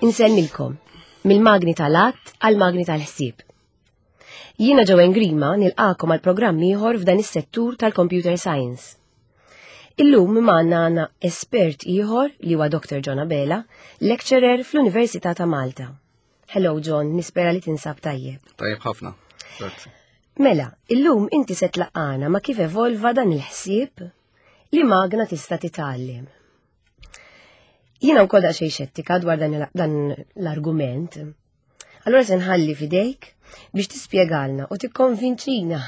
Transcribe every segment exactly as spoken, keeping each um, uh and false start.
Insellmilkom, mill-magni tal-att għal-magni tal-ħsieb. Jiena Joanne Grima nilqakom għal programm ieħor f'dan is-settur tal-computer science. Illum magħna għandna espert ieħor li huwa Doctor John Abela, lecturer fl-Università ta' Malta. Hello John, nispera li tinsab tajjeb. Tajjeb ħafna. Grazzi. Mela, illum inti se tlaqqana ma' kif evolva dan il-ħsieb li magna tista' titgħallem. Jiena wkoll daqsxejn xettika dwar dan il- dan l-argument. Allura se nħalli fidejk biex tispjegalna u tikkonvinċina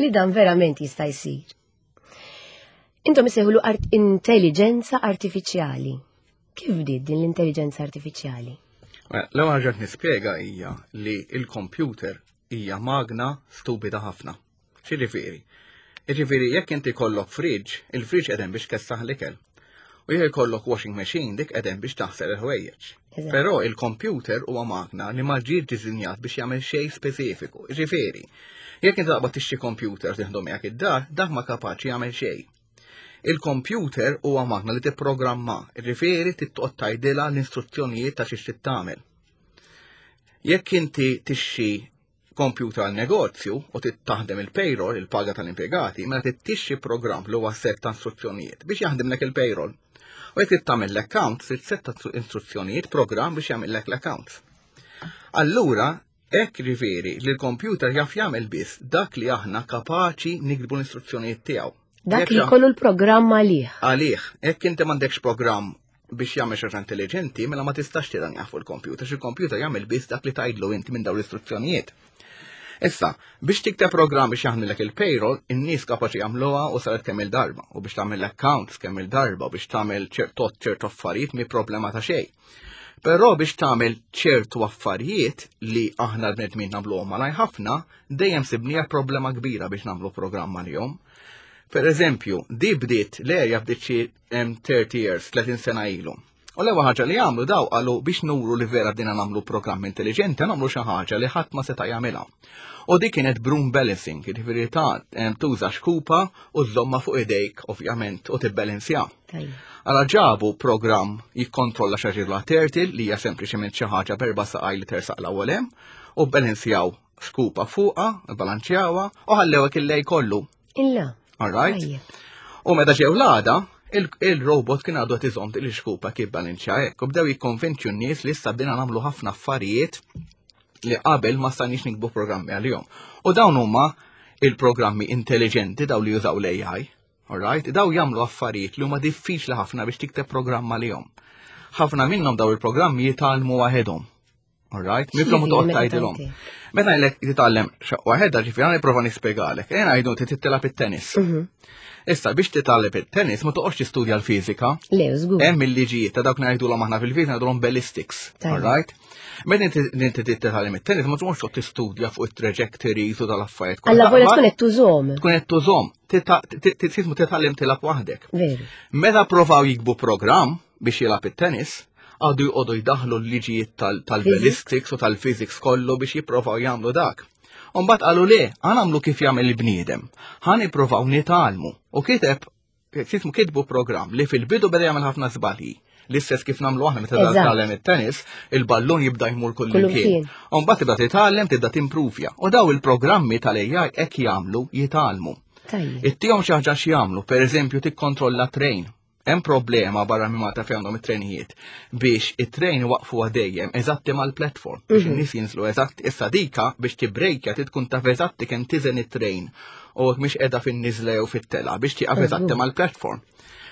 li dan verament jista' jsir. Intom isejħulu art intelligenza artifiċjali. Kif bdiet din l-intelligenza artifiċjali? Mela, l-ewwel ħaġa qed nispjega hija li il-computer hija magna stupida ħafna. X'jiġifieri? Jiġifieri jekk inti kollok fridge, il-fridge qegħdem biex tkessaħ l-ikel. U jekk ikollok washing machine, dik qegħdem biex taħsel il-ħwejjeġ. Eżatt. Però il-computer huwa magna li ma ġiet disinjat biex jagħmel xejn speċifiku. Jiġifieri, jekk inti taqbad tixtri computer tieħdu miegħek id-dar, dak ma kapaċi jagħmel xejn. Il-computer huwa magna li tipprogramma, jiġifieri trid toqgħod tgħidilha l-istruzzjonijiet ta' xi trid tagħmel. Jekk inti tixtri computer għal negozju u trid taħdem il-payroll, il-paga tal-impjegati, mela trid tixtri programm li huwa set ta' istruzzjonijiet biex jaħdimlek il-payroll. U jekk trid tagħmel l-accounts, trid set ta' istruzzjonijiet, programm biex jagħmellek l-accounts. Allura, hekk jiġifieri li l-computer jaf jagħmel biss dak li aħna kapaċi niktbu l-istruzzjonijiet tiegħu. Dak Jekk li jkollu l-programm għalih. Għalih, jekk inti m'għandekx programm biex jagħmel xi ħaġa intelligenti, mela ma tistax tiranjah fuq il-computer, xi il-computer jagħmel biss dak li tgħidlu inti minn dawn l-istruzzjonijiet. Issa, biex tikteb programm biex jaħdmilek il-payroll, in-nies kapaċi jagħmluha u saret kemm il-darba, u biex tagħmel l-accounts kemm il-darba, u biex tagħmel ċertu ċertu affarijiet mi problema ta' xejn. Però biex tagħmel ċertu affarijiet li aħna l-bnedmin nagħmluhom malaj ħafna, dejjem sibnija problema kbira biex nagħmlu programm għalihom. Per eżempju, di bdiet, l-erja bdiet xi em, thirty years, tletin sena ilu. U l-ewwel ħaġa li għamlu daw qalu biex nuru li vera bdejna nagħmlu programm intelligenti, nagħmlu xi ħaġa li ħadd ma seta' jagħmilha. U dik kienet broom balancing, jiġifieri ta' em, tuża xkupa u żomma fuq idejk ovvjament u tibbalanzja. Tajjeb. Għala ġabu programm jikkontrolla xi ħaġa turtle li hija sempliċement xi ħaġa b'erba' saqaj li tersaq l-ewwel hemm u bbalanzjaw xkupa fuqha, bbalanċjawha u ħallewha il-lejl kollu. Illa. All right? Tajjeb. U meta ġew l-għada, il- il-robot kien għadu qed iżomm il-xkupa kif balanċja hekk u bdew jikkonvinċu n-nies li issa bdejna nagħmlu ħafna affarijiet li qabel ma stajniex niktbu programmi għalihom. U dawn huma il-programmi intelligenti daw li jużaw l-A I. Alright? Daw jagħmlu affarijiet li huma diffiċli ħafna biex tikteb programm għalihom. Ħafna minnhom daw il-programmi jitgħallmu waħedhom. Alright? Minflok ma toqgħod Meta tgħidilhom. tgħid. Meta ngħidlek titgħallem waħedha, ġifieri għana nipprova nispjegalek. Ejja ngħidu inti tilgħab it-tennis. Mhm. Issa biex titgħallem it-tennis ma toqgħodx tistudja l-fiżika. Le, żgur. Hemm il-liġijiet ta' dawk ngħidulhom aħna fil-fiżika, ngħidulhom ballistics. Tajjeb. Alright? Meta inti inti titgħallem it-tennis ma tqgħodx toqgħod tistudja fuq it-trajectories u tal-affarijiet kollha. Alla volja Ma tkun qed tużhom. tkun qed tużhom, tismu titgħallem tilgħab waħdek. Veru. Meta provaw jiktbu programm biex jilgħab it-tennis, għadu jqogħdu jdaħlu l-liġijiet tal- tal-ballistics u tal-physics kollu biex jipprovaw jagħmlu dak. Umbagħad qalu le, ħa nagħmlu kif jagħmel il-bniedem. Ħa nippruvaw nitgħallmu. U kiteb, jismu kitbu programm li fil-bidu beda jagħmel ħafna żbalji. L-istess kif nagħmlu aħna meta Eżatt. titgħallem it-tennis, il-ballun jibda jmur kull Kull imkien. imkien. Umbagħad tibda titgħallem, tibda timpruvja. U daw il-programmi tal-A I hekk jagħmlu, jitgħallmu. Tajjeb. Ittihom xi ħaġa x'jagħmlu, pereżempju tikkontrolla train. Hemm problema barra minn Malta fejn għandhom it-trenijiet biex it-train waqfu dejjem eżatti mal-platform biex in-nies jinżlu eżatt. Issa dika biex tibrejkja trid tkun taf eżatti kemm tiżen it-train u jekk mhix qiegħda fin-niżla jew fit-tela biex tieqaf eżatti mal-platform.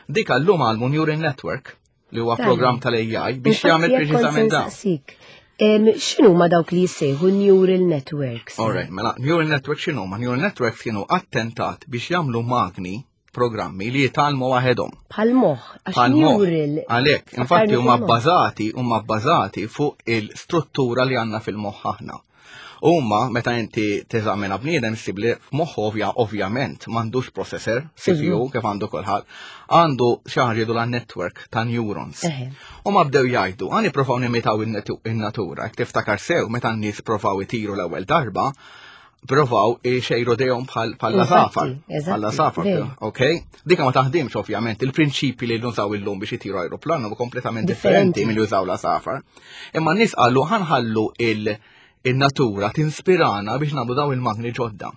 Dika llum għallmu neural network li huwa Tajjeb. programm tal-A I biex Infatti, jagħmel jekk kont preċiżament dan. sensaqsik, em, X'inhu ma dawk li jissejħu neural networks? Alright, mela, neural network x'inhu? Ma neural networks kienu attentat biex jagħmlu magni, programmi li jitgħallmu waħedhom. Bħal moħħ, għax Bħal moħħ. neural. Għalhekk, infatti Fakkarni huma fil-moħħ. bbażati huma bbażati fuq il-struttura li għandna fil-moħħ aħna. Huma meta inti teżamina bniedem ssib li f'moħħu ovvja ovvjament m'għandux processor, C P U kif għandu kulħadd, għandu xi ħaġa jgħidu la network ta' neurons. Eħe. U ma bdew jgħidu, ħa nippruvaw nimitaw in-natura, jekk tiftakar sew meta n-nies provaw itiru l-ewwel darba, Provaw xejru dejhom bħal l-għasafar. Bħal l-għasafar, ok? Dika ma taħdimx ovvjament, il-prinċipi li nużaw illum biex itiru aeroplan huma kompletament differenti milli jużaw l-għasafar. Imma n-nies qalu ħa nħallu il-natura tinspirana biex nagħmlu daw il-magni ġodda.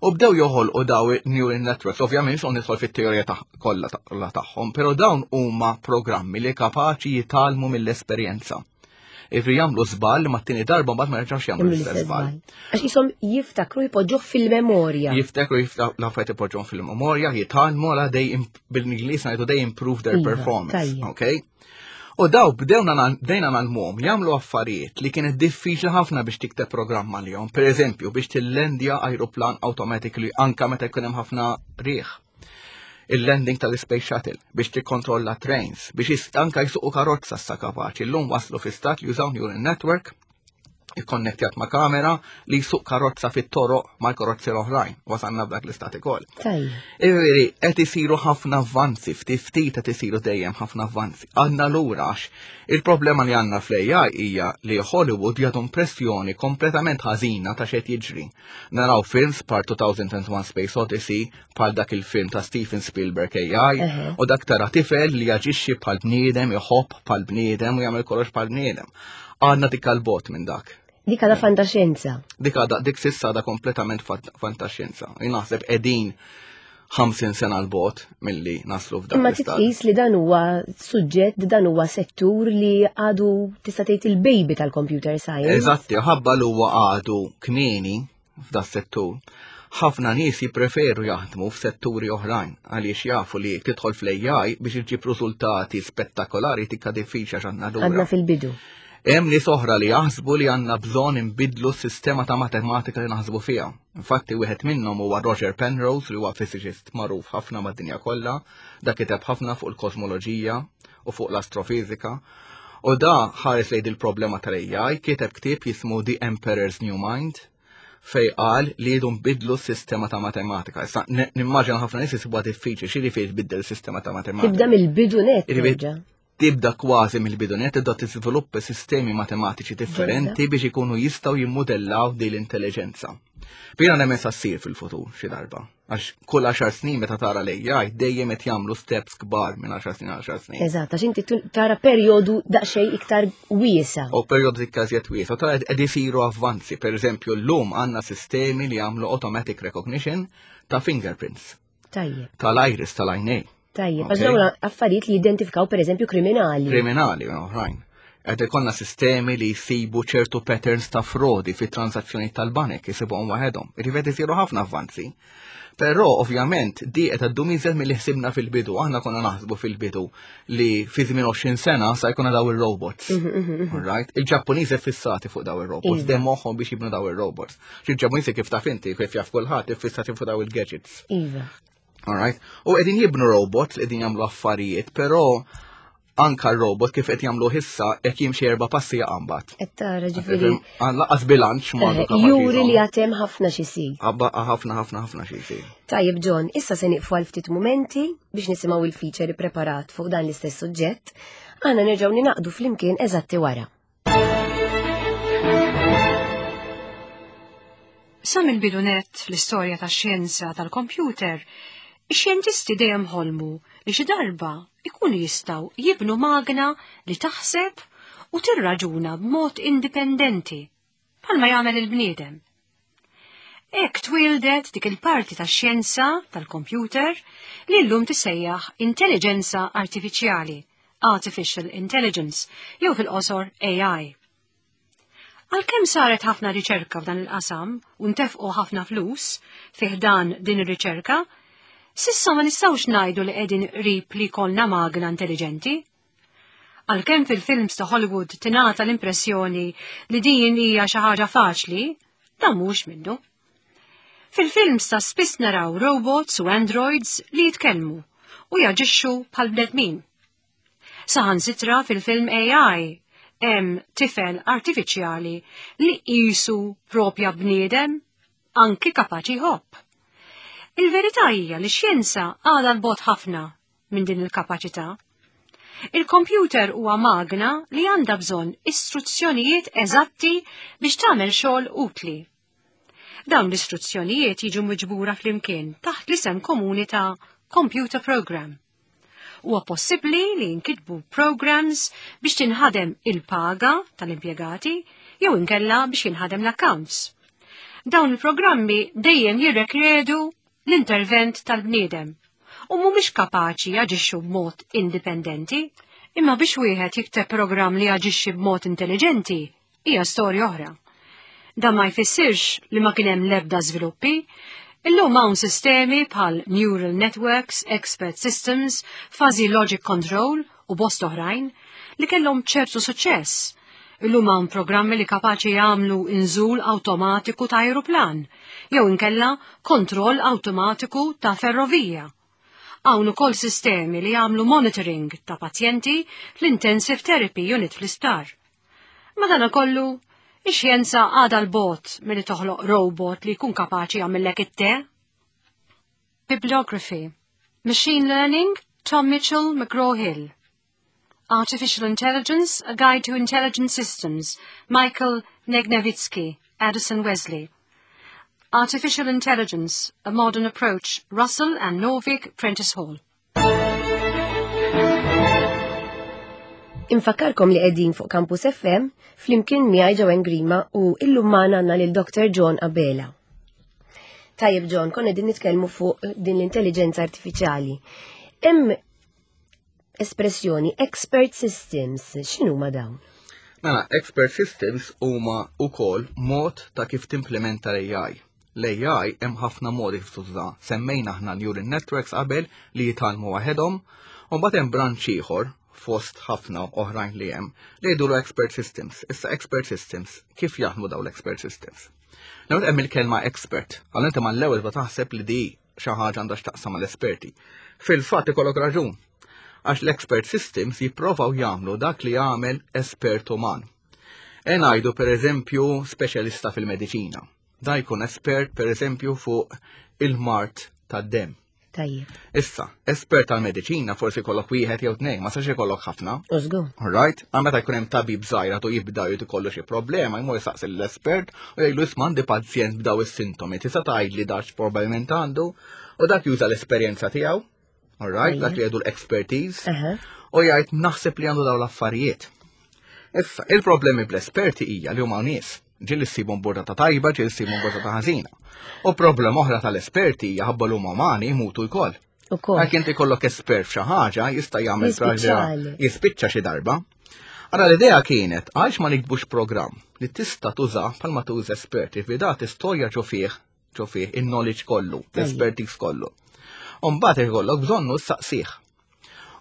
U bdew joħolqu daw neural networks, ovvjament son nidħol fit-teorija kollha tagħhom, però dawn huma programmi li kapaċi jitgħallmu mill-esperjenza. Ifri jagħmlu żball ma t-tieni darba mbagħad ma jerġgħux jagħmlu l-istess żball. Għax jisom jiftakru jpoġġuh fil-memorja. Jiftakru l-affarijiet ipoġġuhom fil-memorja, jitgħallmu għala they bil-Ingliż ngħidu they improve their iva, performance. Okay? U daw bdewna bdejna ngħallmuhom jagħmlu affarijiet li kienet diffiċli ħafna biex tikteb programm għalihom. Per eżempju, biex tillendja ajruplan automatically anka meta jkun hemm ħafna riħ. Il-landing tal-Space Shuttle biex tikkontrolla trains, biex anka jsuqu karozza sa kapaċi. Illum waslu fi stat li jużaw neural network ikkonnettjat ma' kamera li jsuq karozza fit-toroq ma' karozzi l-oħrajn. Wasalna b'dak l-istat ukoll. Iveri, qed isiru ħafna avvanzi, ftit ftit qed isiru dejjem ħafna avvanzi. Għandna lura għax il-problema li għandna fl-A I hija li Hollywood jagħtu impressjoni kompletament ħażina ta' x'qed jiġri. Naraw films bħal two thousand and one Space Odyssey, bħal dak il-film ta' Steven Spielberg A I, u dak tara tifel li jaġixxi bħal bniedem, iħobb bħal bniedem u jagħmel kollox bħal bniedem. Għandna dik il-bogħod minn dak. Dik għadha fantaxjenza. Dik għadha, dik s'issa għadha kompletament fantaxjenza. Jien naħseb qegħdin ħamsin sena 'l bogħod milli naslu f'dak. Imma titqis li dan huwa suġġett, dan huwa settur li għadu tista' tgħid il-baby tal-computer science. Eżatti, ħabba li huwa għadu kmieni f'da settur. Ħafna nies jippreferu jaħdmu f'setturi oħrajn għaliex jafu li tidħol fl-A I biex iġġib riżultati spettakolari tikka diffiċli għax għandna lura. Għadna fil-bidu. Hemm nies oħra li jaħsbu li għandna bżonn inbidlu s-sistema ta' matematika li naħsbu fiha. Infatti wieħed minnhom huwa Roger Penrose, li huwa physicist magħruf ħafna mad-dinja kollha, dak kiteb ħafna fuq il-kosmoloġija u fuq l-astrofizika. U da ħares lejn il-problema tal-A I, kiteb ktieb jismu The Emperor's New Mind, fej qal li jridu nbidlu s-sistema ta' matematika. Issa nimmaġina ħafna nies isibuha diffiċli, xi fejn tbiddel s-sistema ta' matematika. Tibda mill-bidu net. Tibda kważi mill-bidu net, tibda tiżviluppa sistemi matematiċi differenti biex ikunu jistgħu jimmodellaw din l-intelligenza. Jiena nemmen sa ssir fil-futur xi darba. Għax kull għaxar snin meta tara l-A I dejjem qed jagħmlu steps kbar minn għaxar snin għal għaxar snin. Eżatt, għax inti tara perjodu daqsxejn iktar wiesa. U perjodu iktar wiesa, tara qed isiru avvanzi. Per eżempju, llum għandna sistemi li jagħmlu automatic recognition ta' fingerprints. Tajjeb. Tal-iris tal-għajnej. Tajjeb, għax dawn affarijiet li jidentifikaw per eżempju kriminali. Kriminali, oħrajn. Qed ikollna sistemi li jsibu ċertu patterns ta' frodi fit transazzjoni tal-banek, jisibuhom waħedhom. Irrid isiru ħafna avvanzi. Però ovvjament di qed iddum iżjed milli ħsibna fil-bidu. Aħna konna naħsbu fil-bidu li fi żmien għoxrin sena sa jkun daw ir-robots. Mhm, mhm, mhm. Right? Il-Ġappuniżi fissati fuq daw ir-robots, Iva. dem moħħhom biex jibnu daw ir-robots. Il-Ġappuniżi, kif taf inti, kif jaf kulħadd, fissati fuq daw il-gadgets. Iva. Alright? U qegħdin jibnu robots, qegħdin jagħmlu affarijiet, però anka r-robot kif qed jagħmlu issa jekk jimxi erba' passi jaqambat. Qed tara, ġifieri. Lanqas bilanċ m'għadu kapaċi Juri li jżomm. għad hemm ħafna x'isir. Abba ħafna, ħafna, ħafna xi jsir. Tajjeb John, issa se nieqfu għal ftit mumenti biex nisimgħu il-feature preparat fuq dan l-istess suġġett. Aħna nerġgħu ninaqdu flimkien eżatti wara. Sa mill-bidu net fl-istorja tax-xjenza tal-kompjuter, ix-xjentisti dejjem ħolmu li xi darba ikunu jistgħu jibnu magna li taħseb u tirraġuna b'mod indipendenti, bħalma jagħmel il-bniedem. Hekk twildet dik il-parti tax-xjenza tal-kompjuter li llum tissejjaħ intelligenza artifiċjali, Artificial Intelligence, jew fil-qosor A I. Għalkemm saret ħafna riċerka f'dan il-qasam u ntefqu ħafna flus fih dan din ir-riċerka, s'issa ma nistgħux ngħidu li qegħdin qrib li jkollna magna intelligenti. Għalkemm fil-films ta' Hollywood tingħata l-impressjoni li din hija xi ħaġa faċli, dan mhux minnu. Fil-films ta' spiss naraw robots u androids li jitkellmu u jaġixxu bħal bnedmin. Saħansitra fil-film A I hemm tifel artifiċjali li qisu propja bniedem, anki kapaċi jħobb. Il-verità hija li x-xjenza għadha 'l bogħod ħafna minn din il-kapaċità. Il-kompjuter huwa magna li għandha bżonn istruzzjonijiet eżatti biex tagħmel xogħol utli. Dawn l-istruzzjonijiet jiġu miġbura flimkien taħt l-isem komuni ta' computer program. Huwa possibbli li jinkitbu programs biex tinħadem il-paga tal-impjegati jew inkella biex jinħadem l-accounts. Dawn il-programmi dejjem jirrikjedu l-intervent tal-bniedem u mhumiex kapaċi jaġixxu b'mod indipendenti, imma biex wieħed jikteb programm li jaġixxi b'mod intelligenti hija storja oħra. Dan ma jfissirx li ma kien hemm l-ebda żviluppi. Illum hawn sistemi bħal neural networks, expert systems, fuzzy logic control u bost oħrajn li kellhom ċertu suċċess. Illum hawn programmi li kapaċi jagħmlu inżul awtomatiku ta' aeroplan, jew inkella kontroll awtomatiku ta' ferrovija. Hawn ukoll sistemi li jagħmlu monitoring ta' pazjenti fl-intensive therapy unit fl-isptar. Madanakollu, ix-xjenza għadha 'l bogħod milli toħloq robot li jkun kapaċi jagħmellek it-te. Bibliography. Machine Learning, Tom Mitchell, McGraw-Hill. Artificial Intelligence, A Guide to Intelligent Systems, Michael Negnevitsky, Addison Wesley. Artificial Intelligence, A Modern Approach, Russell and Norvig, Prentice Hall. Infakkarkom li qegħdin fuq Campus F M flimkien miegħi Joanne Grima u illum magħna għandna lil Doctor John Abela. Tajjeb John, konna qegħdin nitkellmu fuq din l-intelligenza artifiċjali. Hemm espressjoni expert systems, x'inhuma dawn? Mela, expert systems huma wkoll mod ta' kif timplementa l-A I. L-A I hemm ħafna modi kif tuża. Semmejna aħna neural networks qabel li jitgħallmu waħedhom, u mbagħad hemm branch ieħor fost ħafna oħrajn li hemm li jgħidulu expert systems. Issa expert systems, kif jaħdmu dawn l-expert systems? L-ewwel hemm il-kelma expert. Għal inti mal-ewwel ma taħseb li di xi ħaġa għandha x'taqsam mal-esperti. Fil-fatt ikollok raġun. Għax l-expert systems jipprovaw jagħmlu dak li jagħmel espert uman. E ngħidu per eżempju speċjalista fil-mediċina. Da jkun espert per eżempju fuq il-mard tad-dem. Tajjeb. Issa, espert tal-mediċina forsi jkollok wieħed jew tnejn, ma sax ikollok ħafna. Użgu. All right? Għal meta jkun hemm tabib żgħira tu jibda jrid ikollu xi problema, jmur jistaqsi l-espert u jgħidlu isma' għandi pazjent b'daw is-sintomi, tista' tgħidli dax probabbilment għandu, u dak juża l-esperjenza tiegħu. All right? Dak li jgħidu l-expertise. Aha. U jgħid naħseb li għandu daw l-affarijiet. Issa, il-problemi bl-esperti hija li huma nies. Ġieli ssibhom burdata tajba, ġieli ssibhom burdata ħażina. U problema oħra tal-esperti hija ħabba l-huma umani jmutu wkoll. Ukoll. Għalhekk inti kollok espert f'xi ħaġa jista' jagħmel Jispiċċali. jispiċċa xi darba. Ara l-idea kienet għaliex ma nikbux programm li tista' tuża bħalma tuża esperti fi dat istorja ġo fih, ġo fih in-knowledge kollu, l-expertise kollu. U mbagħad ikollok bżonnu ssaqsih.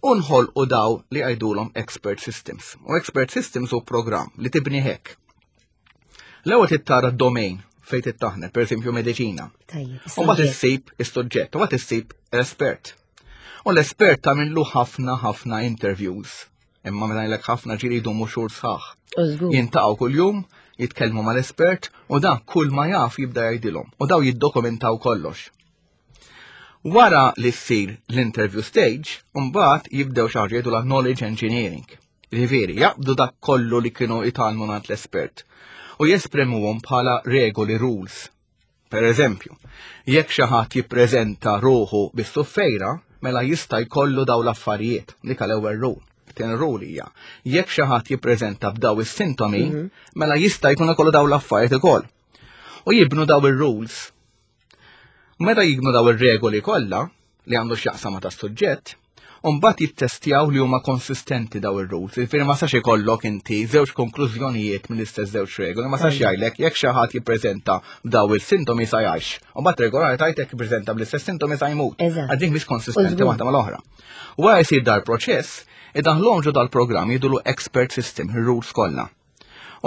U nħolqu daw li għajdulhom expert systems. U expert systems hu programm li tibni hekk. L-ewwel tittara d-domain fejn tittaħne, per eżempju mediċina. Tajjeb. U mbagħad issib is-suġġett, u mbagħad issib l-espert. U l-espert tagħmillu ħafna ħafna interviews. Imma meta ngħidlek ħafna ġieli jdumu xhur sħaħ. Użgur. Jintaqgħu kuljum, jitkellmu mal-espert u dan kull ma jaf jibda jgħidilhom. U daw jiddokumentaw kollox. Wara li ssir l-interview stage, mbagħad jibdew xi ħaġa jgħidu la knowledge engineering. Jiġifieri, jaqbdu dak kollu li kienu jitgħallmu mingħand l-espert u jesprimuhom bħala regoli, rules. Per eżempju, jekk xi ħadd jippreżenta ruħu bis-suffejra, mela jista' jkollu daw l-affarijiet, dik l-ewwel rule. Tieni rule hija, jekk xi ħadd jippreżenta b'daw is-sintomi, mela jista' jkun ikollu daw l-affarijiet ukoll. U jibnu daw ir-rules. Meta jibnu daw ir-regoli kollha li għandu x'jaqsam ma' tas-suġġett, u mbagħad jittestjaw li huma konsistenti daw ir-rules. Jiġifieri ma sax ikollok inti żewġ konklużjonijiet mill-istess żewġ regoli, ma sax jgħidlek jekk xi ħadd jippreżenta b'daw il-sintomi sa jgħix. U mbagħad regolari tgħid jekk jippreżenta bl-istess sintomi sa jmut. Eżatt. Għax dik mhix konsistenti Użgur. waħda mal-oħra. Wara jsir dar proċess, idaħluhom ġo dal-programm jgħidulu expert system, ir-rules kollha.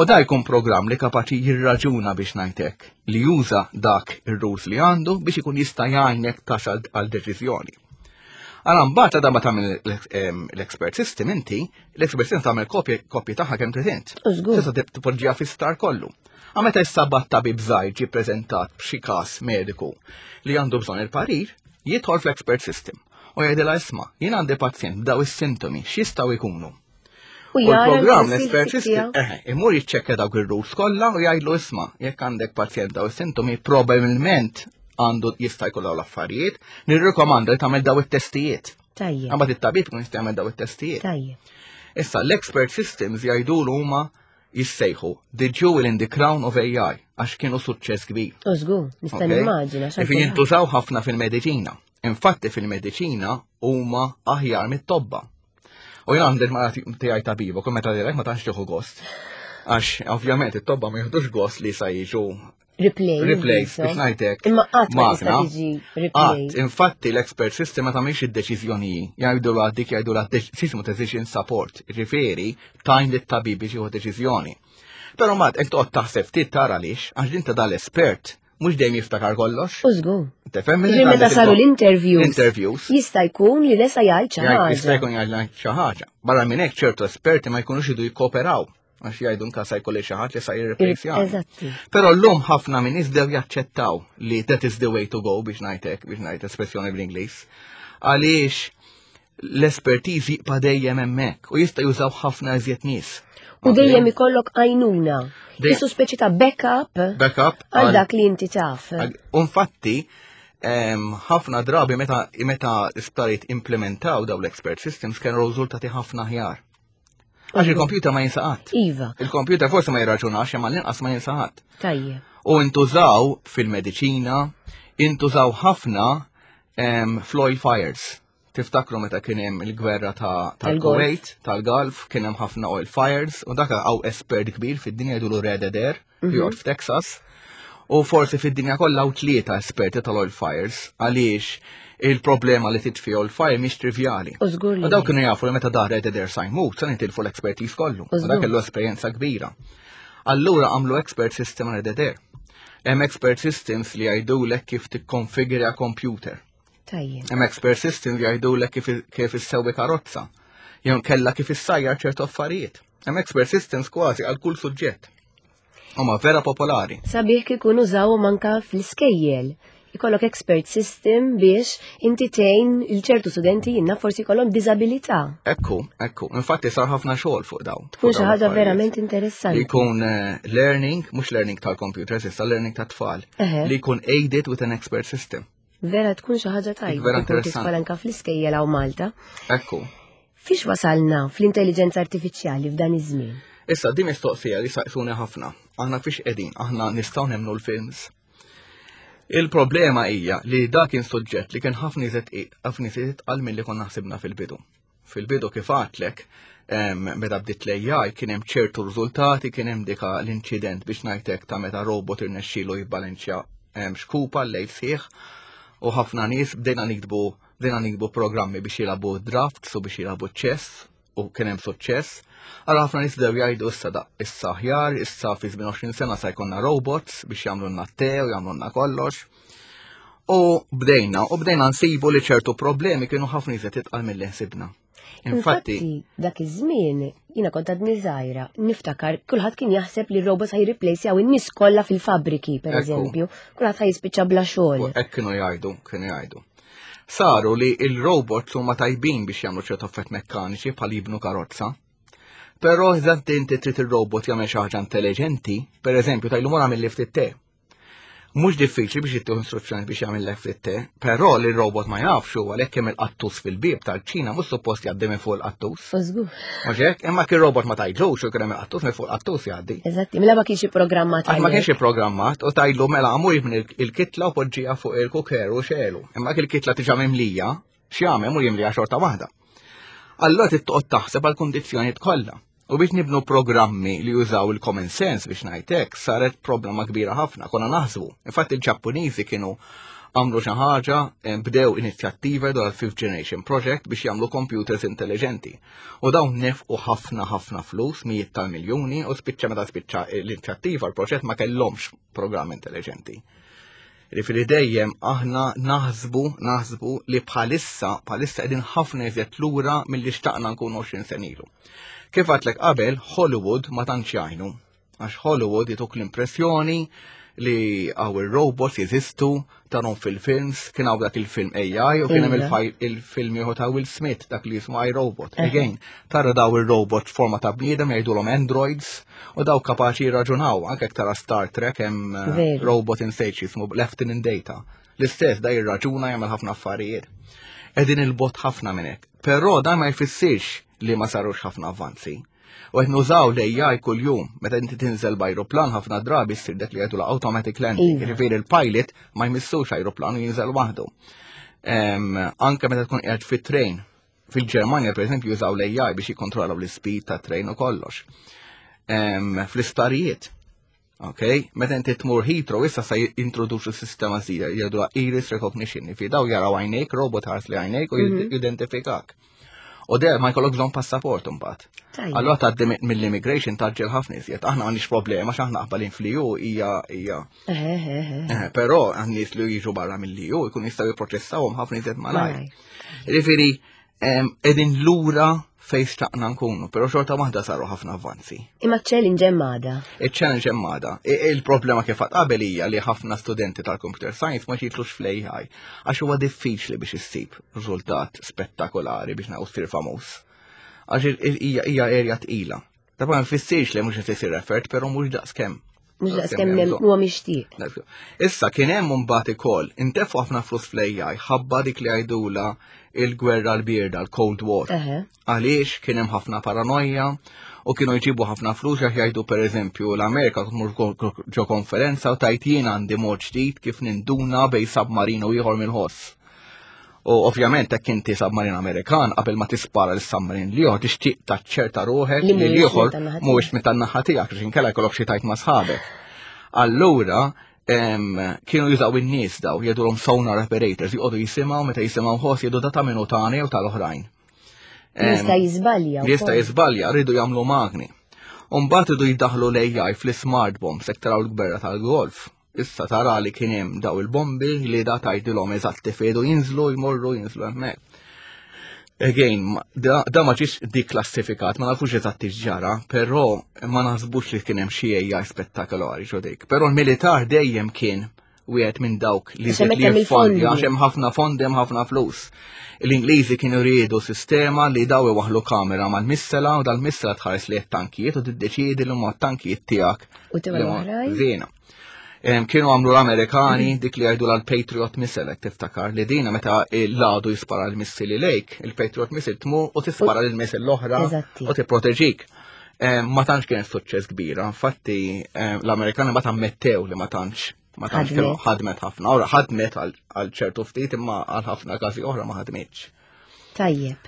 U da jkun programm li kapaċi jirraġuna biex ngħidlek, li juża dak ir-rules li għandu biex ikun jista' jgħinek tasal għal deċiżjoni. Għala mbagħad għadha ma tagħmel l-expert system inti, l-expert system tagħmel kopji kopji tagħha kemm trid int. Użgur. Tista' tib- tpoġġiha fi-sptar kollu. Għal meta issa bat tabib żgħir ġie preżentat b'xi każ mediku li għandu bżonn il-parir, jidħol fl-expert system u jgħidilha isma' jien għandi pazjent b'daw is-sintomi x'jistgħu jkunu. U jara l-programm l-expert l-expert system, tiegħu. eh, imur jiċċekkja dawk ir-rules kollha u jgħidlu isma' jekk għandek pazjent daw is-sintomi probabbilment għandu jista' jkollu dawn l-affarijiet, nirrikomanda li tagħmel daw it-testijiet. Tajjeb. Imbagħad it-tabib ikun jista' jagħmel daw it-testijiet. Tajjeb. Issa l-expert systems jgħidulu huma jissejħu the jewel in the crown of A I għax kienu suċċess kbir. U żgur, nista' Ok? nimmaġina. x'għal Ifi kulħadd. jintużaw ħafna fil-mediċina. Infatti fil-mediċina huma aħjar mit-tobba. U jien għandi mara tiegħi tabiba, kull meta direk ma tantx tieħu gost. Għax ovvjament it-tobba ma jieħdux gost li sa jiġu Replay. replace so. biex ngħidlek. Imma qatt ma tista' magna. tiġi replay. Qatt, infatti l-expert system ma tagħmilx id-deċiżjoni, jgħidu dik jgħidu la system decision support, ġifieri tgħin lit-tabib biex jieħu deċiżjoni. Però mat hekk toqgħod taħseb ftit tara għaliex, għax din ta' dal-espert mhux dejjem jiftakar kollox. U żgur. Tifhem? Ġifieri meta saru l-interviews. Interviews. Jista' jkun li nesa jgħid xi Jgħid- Jista' ħaġa. jkun jgħid xi ħaġa. Barra minn hekk ċertu esperti ma jkunux idu jikkooperaw għax jgħidu nka sa jkolli xi ħadd li sa jirreplace. Eżatti. Però llum ħafna minn nies bdew jaċċettaw li that is the way to go biex ngħidlek, biex ngħid espressjoni bl-Ingliż. Għaliex l-espertiż jibqa' dejjem hemmhekk u jista' jużaw ħafna iżjed nies. U dejjem ikollok għajnuna. Dej- Isu speċi ta' backup Backup għal dak li inti taf. U infatti, em, ħafna drabi meta meta isptarijiet implementaw daw l-expert systems kienu riżultati ħafna aħjar. Għax il-computer ma jinsa qatt. Iva, Il-computer forsi ma jirraġunax imma l-inqas ma jinsa qatt. tajjeb. U intużaw fil-mediċina, intużaw ħafna em, fl-oil fires. Tiftakru meta kien hemm il-gwerra ta' Tal-Golf. tal-Kuwait, tal-Gulf, kien hemm ħafna oil fires, u dak hawn espert kbir fid-dinja jgħidulu Red Adair, li joqgħod f'Texas. U forsi fid-dinja kollha hawn tlieta esperti tal-oil fires, għaliex il-problema li titfi oil fire mhix trivjali. U żgur li. U daw kienu jafu li meta da Red Adair sa jmut, sa nitilfu l-expertise kollu. U U dak żgur. kellu esperjenza kbira. Allura għamlu expert system Red Adair. Hemm expert systems li jgħidulek kif tikkonfigura computer. Tajjeb. Hemm expert systems li jgħidulek kif kif issewwi karozza. Jew kella kif issajjar ċertu affarijiet. Hemm expert systems kważi għal kull suġġett. Huma vera popolari. Sabiħ kikun użawhom anka fl-iskejjel. Ikollok expert system biex inti tgħin il-ċertu studenti jinna forsi jkollhom diżabilità. Ekku, ekku. Infatti sar ħafna xogħol fuq daw. Tkun fuq xi dawn ħaġa l-affarijiet. verament Li interessanti. jkun eh, learning, mhux learning tal-computers, issa learning tat-tfal. Eħe. Li jkun aided with an expert system. Vera tkun xi ħaġa tajba. Vera Tkun interessanti. tidħol anka fl-iskejjel hawn Malta. Ekku. Fiex wasalna fl-intelligenza artifiċjali f'dan iż-żmien? Issa, di mistoqsija li saqsuni ħafna. Aħna fiex qegħdin, aħna nistgħu nemmnu l-films. Il-problema hija li dak kien suġġett li kien ħafna iżjed ħafna iżjed itqal milli konna ħsibna fil-bidu. Fil-bidu kif għedtlek, em, meta bdiet l-A I kien hemm ċertu riżultati, kien hemm dika l-inċident biex ngħidlek ta' meta robot irnexxielu jibbalanċja em, xkupa l-lejl sħiħ u ħafna nies bdejna nikdbu bdejna nikdbu programmi biex jilagħbu drafts u biex jilagħbu chess u kien hemm suċċess. Allura ħafna nies bdew jgħidu issa da issa aħjar, issa fi żmien għoxrin sena sa jkollna robots biex jagħmlulna t-te u jagħmlulna kollox. U bdejna, u bdejna nsibu li ċertu problemi kienu ħafna iżjed itqal milli ħsibna. Infatti, dak iż-żmien jiena kont għadni żgħira, niftakar kulħadd kien jaħseb li r-robots ħa jirreplacejaw in-nies kollha fil-fabriki, per Ekku. eżempju, kulħadd ħa jispiċċa bla xogħol. U hekk kienu jgħidu, kienu jgħidu. Saru li il-robots huma tajbin biex jagħmlu ċertu affarijiet mekkaniċi bħal jibnu karozza. Però eżatt inti trid ir-robot jagħmel xi ħaġa intelligenti, per eżempju tgħidlu mur agħmilli ftit te. Mhux diffiċli biex jittieħu instruzzjoni biex jagħmel ftit te, però li r-robot ma jafx huwa għalhekk hemm il-qattus fil-bieb tal-kċina mhux suppost jgħaddi minn fuq il-qattus. U żgur. Mhux hekk, imma kien robot ma tgħidlux u kien hemm il-qattus minn fuq il-qattus jgħaddi. Eżatti, mela ma kienx programmat. Għax ma kienx programmat u tgħidlu mela mur jibni il-kitla u poġġija fuq il-cooker u xegħlu. Imma il-kitla tiġa mimlija, x'jagħmel mur jimlija xorta waħda. Allora trid toqgħod taħseb għal kundizzjonijiet kollha. U biex nibnu programmi li jużaw il-common sense biex ngħidlek, saret problema kbira ħafna, konna naħsbu. Infatti il-Ġappuniżi kienu għamlu xi ħaġa, eh, bdew inizjattiva dwar il-Fifth Generation Project biex jagħmlu computers intelligenti. U dawn nefqu ħafna ħafna flus, mijiet tal-miljuni, u spiċċa meta spiċċa l-inizjattiva, l-proġett ma kellhomx programm intelligenti. Ġifieri dejjem aħna naħsbu, naħsbu li bħalissa, bħalissa qegħdin ħafna iżjed lura milli xtaqna nkunu għoxrin sena ilu. Kif għedtlek qabel, Hollywood ma tantx jgħinu. Għax Hollywood jtuk l-impressjoni li hawn il-robots jeżistu, tarahom fil-films, kien hawn dak il-film A I u kien hemm Iva. il-film ieħor ta' Will Smith, dak li jismu iRobot. Again, tara daw il-robot forma ta' bniedem, jgħidulhom androids, u daw kapaċi jirraġunaw, anke jekk tara Star Trek hemm eh, Veru. robot in stage jismu Lieutenant Data. L-istess da jirraġuna, jagħmel ħafna affarijiet. Qegħdin 'il bogħod ħafna minn hekk. Però dan ma jfissirx li ma sarux ħafna avvanzi. U qed nużaw l-A I kuljum, meta inti tinżel b'ajruplan, ħafna drabi ssir dak li jgħidu automatic landing. Iva. Jiġifieri il-pilot ma jmissux ajruplan u jinżel waħdu. Em, Anke meta tkun qiegħed fit-train, fil-Ġermanja, per eżempju, jużaw l-A I biex jikkontrollaw l-speed ta' train u kollox. Em, Fl-isptarijiet, ok? Meta inti tmur Heathrow, issa se jintroduċu sistema ġdida, jgħidu iris recognition, fi daw jaraw għajnejk, robot ħares lejn għajnejk u jidentifikak. U der ma jkollok bżonn passaport imbagħad. Tajjeb. Allora tgħaddi mill-immigration tgħaġġel ħafna iżjed. Aħna m'għandniex problema għax aħna qegħdin fl-E U, hija hija. Eħe, eħe. Eh, Però għan-nies li jiġu barra mill-E U jkun jistgħu jipproċessawhom ħafna iżjed malajr. Malajr. Jiġifieri, em, qegħdin lura fejn xtaqna nkunu, però xorta waħda saru ħafna avvanzi. Imma challenge hemm għadha. Il-challenge hemm għadha. I- Il-problema kif għedt qabel hija li ħafna studenti tal-computer science ma jitilgħux fl-A I għax huwa diffiċli biex issib riżultat spettakolari biex naqgħu ssir famuż. Għax il- il- hija hija area tqila. Ta' ma nfissirx li mhux qed isir effort, però mhux daqskemm. Mhux daqskemm hemm huwa mixtieq. Issa kien hemm mbagħad ukoll intefqu ħafna flus fl-A I ħabba dik li jgħidula il-gwerra l-bierda, l-Cold War. Eħe. Għaliex kien hemm ħafna paranoja u kienu jġibu ħafna flus għax jgħidu, pereżempju, l-Amerika tmur ġo konferenza u tgħid, "Jien għandi mod ġdid kif ninduna bejn submarine u ieħor mill-ħoss." U ovvjament hekk inti submarine Amerikan, qabel ma tispara l-submarine l-ieħor tixtieq taċċerta ruħek li li mhuwiex l-ieħor minn tan-naħa mhuwiex minn tan-naħa tiegħek, għax inkella jkollok xi tgħid ma' sħabek. Allura em, kienu jużaw in-nies daw, jgħidulhom sonar operators, jqogħdu jisimgħu, meta jisimgħu ħoss jgħidu da ta' minu tagħna jew tal-oħrajn. Em, Jista' jiżbalja. Li jista' wkoll. jiżbalja, rridu jagħmlu magni. Umbagħad iridu jdaħlu l-A I fl-smart bombs, jekk taraw l-gwerra tal-Golf. Issa tara li kien hemm daw il-bombi li da tgħidilhom eżatti fejn jinżlu, jmorru, jinżlu hemmhekk. Again, ma- da, da ma ġiex deklassifikat, ma nafux eżatti x'ġara, però ma naħsbux li kien hemm xi A I spettakolari ġo dik. Però l-militar dejjem kien wieħed minn dawk li Għax żied hemmhekk li hemm jiffondi, il-fondi. għax hemm ħafna fondi, hemm ħafna flus. L-Ingliżi kienu riedu sistema li daw iwaħlu kamera mal-missila u dal-missila tħares li tankijiet u tiddeċiedi li huma tankijiet tiegħek. U tiegħu li huma l-oħrajn? Żiena. Em, Kienu għamlu l-Amerikani dik li jgħidu l-Patriot Missile, jekk tiftakar, li dina meta l-għadu jispara l-missili lejk, il-Patriot Missile tmur u tispara l-missile l-oħra Eżatti. u tipproteġik. Em, Ma tantx kienet suċċess kbira, infatti em, l-Amerikani ma ammettew li ma tantx ma tantx Ħadmet. kienu ħadmet ħafna. Ora ħadmet għal għal ċertu ftit, imma għal ħafna każi oħra ma ħadmitx. Tajjeb.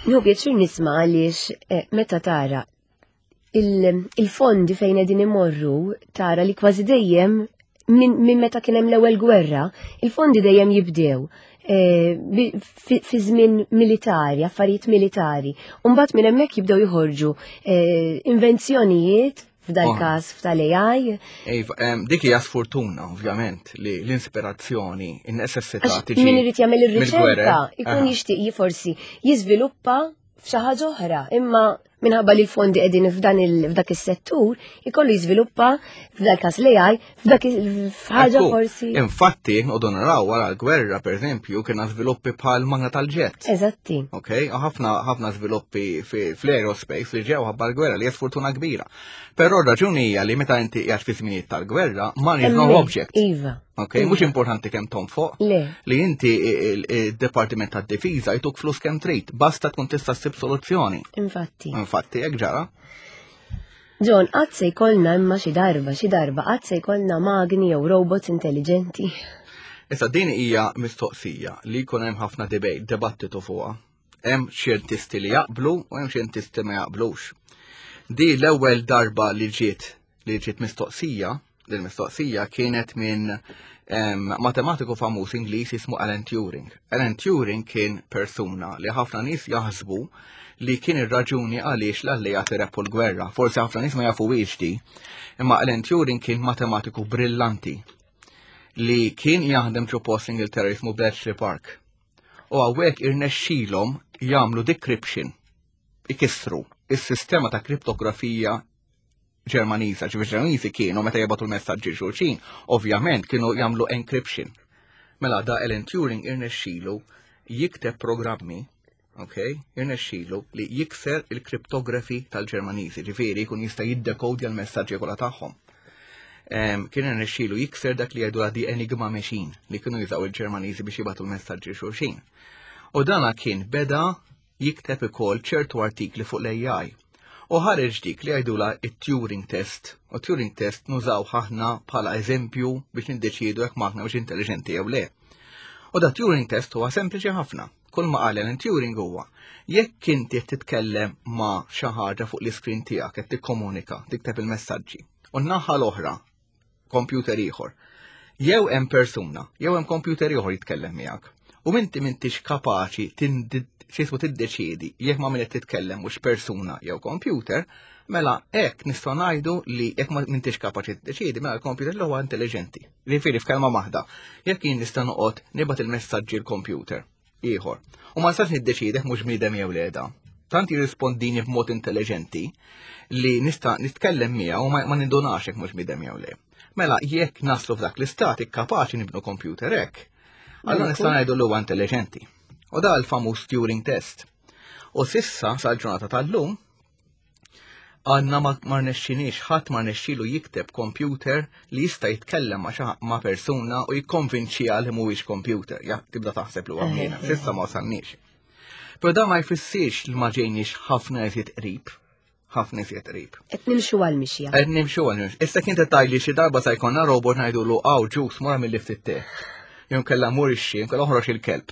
Nieħu pjaċir nisma' għaliex eh, meta tara il- il-fondi fejn qegħdin imorru, tara li kważi dejjem minn min meta kien hemm l-ewwel gwerra, il-fondi dejjem jibdew eh, bi- fi fi żmien militari, affarijiet militari. U mbagħad minn hemmhekk jibdew joħorġu eh, invenzjonijiet f'dal Oh. każ f'tal-A I. Iva, em, dik hija sfortuna, ovvjament, li l-inspirazzjoni, in-necessità Għax tiġi min irid jagħmel ir-riċerka mill-gwerer. ikun Aha. jixtieq forsi jiżviluppa f'xi ħaġa oħra, imma minħabba li l-fondi qegħdin f'dan il f'dak is-settur, ikollu jiżviluppa f'dal każ l-A I f'dak il- f'ħaġa Ekku, forsi. Infatti, noqogħdu naraw wara l-gwerra, per eżempju, kienna żviluppi bħal magna tal-ġett. Eżatti. Ok, u ħafna ħafna żviluppi fi- fl-aerospace li ġew ħabba l-gwerra, li hija sfortuna kbira. Però r-raġuni hija li meta inti qiegħed fi żminijiet tal-gwerra, money is no Hemmhekk, object. Iva. Ok, mhux importanti kemm tonfoq. Le. Li inti il-Departiment tad-Difiża jtuk flus kemm trid, basta tkun tista' ssib soluzzjoni. Infatti. Infatti, hekk ġara. John, qatt se jkollna imma xi darba, xi darba, qatt se jkollna magni jew robots intelligenti? Issa din hija mistoqsija li jkun hemm ħafna debate, dibattitu fuqha. Hemm xjentisti li jaqblu u hemm xjentisti ma jaqblux. Di l-ewwel darba li ġiet li ġiet mistoqsija, li l-mistoqsija kienet minn em, matematiku famuż Ingliż jismu Alan Turing. Alan Turing kien persuna li ħafna nies jaħsbu li kien ir-raġuni għaliex l-alleati rebħu l-gwerra. Forsi ħafna nies ma jafuhiex di. Imma Alan Turing kien matematiku brillanti li kien jaħdem ġo post Ingilterra jismu Bletchley Park. U hawnhekk irnexxilhom jagħmlu decryption, ikissru is-sistema ta' kriptografija Ġermaniża, ġifieri Ġermaniżi kienu meta jibagħtu l-messaġġi xulxin, ovvjament kienu jagħmlu encryption. Mela da Alan Turing irnexxielu jikteb programmi, ok, irnexxielu li jikser il-kriptografi tal-Ġermaniżi, ġifieri jkun jista' jiddekodja l-messaġġi kollha tagħhom. Kien irnexxielu jikser dak li jgħidu the Enigma Machine li kienu jużaw il-Ġermaniżi biex jibagħtu l-messaġġi xulxin. U dana kien beda jikteb ukoll ċertu artikli fuq l-A I. U ħareġ dik li jgħidula it-Turing test. U Turing test nużaw ħafna bħala eżempju biex niddeċiedu jekk magna mhux intelligenti jew le. U da Turing test huwa sempliċi ħafna. Kull ma qal Alan Turing huwa jekk inti qed titkellem ma' xi ħaġa fuq l-iskrin tiegħek, qed tikkomunika, tikteb il-messaġġi. U n-naħa l-oħra, computer ieħor. Jew hemm persuna, jew hemm computer ieħor jitkellem miegħek. U inti m'intix kapaċi xismu tiddeċiedi jekk ma' min qed titkellem mhux persuna jew computer, mela hekk nistgħu ngħidu li jekk ma m'intix kapaċi tiddeċiedi, mela l-computer li huwa intelligenti. Jiġifieri, f'kelma waħda, jekk jien nista' noqgħod nibgħat il-messaġġi l-computer ieħor u ma nistax niddeċiedi mhux bniedem jew le da. Tant jirrispondini b'mod intelligenti li nista' nitkellem miegħu u ma nindunax jekk mhux bniedem jew le. Mela jekk naslu f'dak l-istat kapaċi nibnu computer hekk, allora nista' ngħidu li huwa intelligenti. U da l-famuż Turing test. U s'issa sal-ġurnata tal-lum għandna ma rnexxinix, ħadd ma rnexxilu jikteb computer li jista' jitkellem ma' ma' persuna u jikkonvinċiha li mhuwiex computer. Ja, tibda taħseb li huwa bniedem. S'issa ma wasalniex. Però da ma jfissirx li ma ġejniex ħafna iżjed qrib. Ħafna iżjed qrib. Qed nimxu għal-mixja. Qed nimxu għal-mixja. Issa kien tgħidli xi darba sa jkollna robot ngħidulu, "Aw ġus, mur agħmilli ftit te. Jew kella mur ixxi, jew kella oħroġ il-kelb."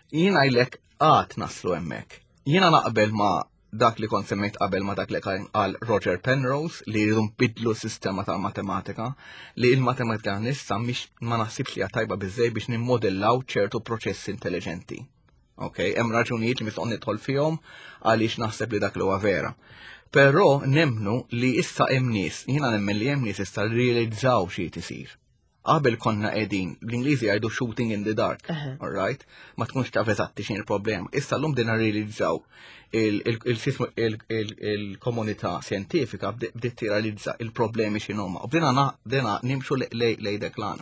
Jien ngħidlek għad naslu hemmhekk. Jiena naqbel ma' dak li kont semmejt qabel, ma' dak li qal Roger Penrose, li jridu nbidlu s-sistema tal-matematika, li il-matematika nissa mhix, ma naħsibx li tajba biżej biex nimmodellaw ċertu proċessi intelligenti. Ok, hemm raġunijiet li mistgħu nidħol fihom għaliex naħseb li dak li huwa vera. Però nemmnu li issa hemm nies, jiena nemmen li hemm nies issa realizzaw xi tisir. Qabel konna qegħdin, l-Ingliżi jgħidu shooting in the dark, all right? Ma tkunx taf eżatti x'in il-problema. Issa llum bdejna realizzaw, il-komunità sjentifika bdiet tirrealizza il-problemi x'inhuma. U bdejna bdejna nimxu lejn dak l-għan.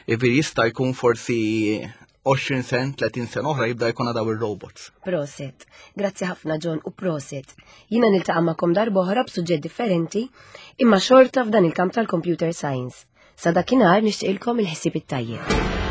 Ivir jista' jkun forsi għoxrin sen, tletin sen oħra jibda jkun daw il-robots. Prosit. Grazzi ħafna, John, u prosit. Jiena niltaqa' magħkom darba oħra b'suġġett differenti, imma xorta f'dan il-kamp tal-computer science. Sa dakinhar nixtieqilkom il-ħsieb it-tajjeb.